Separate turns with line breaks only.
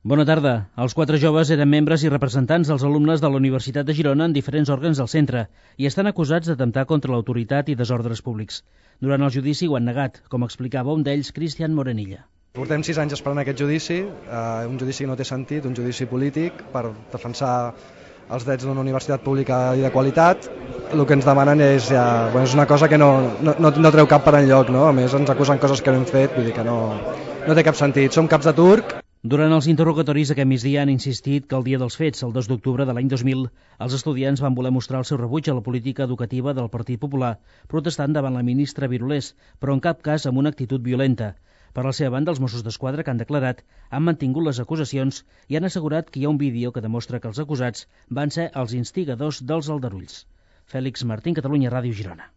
Bona tarda. Els 4 joves eren membres i representants dels alumnes de la Universitat de Girona en diferents òrgans del centre i estan acusats d'atemptar contra l'autoritat i desordres públics. Durant el judici ho han negat, com explicava un d'ells, Cristian Morenilla.
Portem 6 anys esperant aquest judici, un judici que no té sentit, un judici polític per defensar els drets d'una universitat pública i de qualitat. El que ens demanen és una cosa que no treu cap per enlloc, no? A més ens acusen coses que no hem fet, vull dir que no té cap sentit. Som caps de turc.
Durant els interrogatoris aquest migdia han insistit que el dia dels fets, el 2 d'octubre de l'any 2000, els estudiants van voler mostrar el seu rebuig a la política educativa del Partit Popular, protestant davant la ministra Virulés, però en cap cas amb una actitud violenta. Per la seva banda, els Mossos d'Esquadra, que han declarat, han mantingut les acusacions i han assegurat que hi ha un vídeo que demostra que els acusats van ser els instigadors dels aldarulls. Fèlix Martín, Catalunya Ràdio, Girona.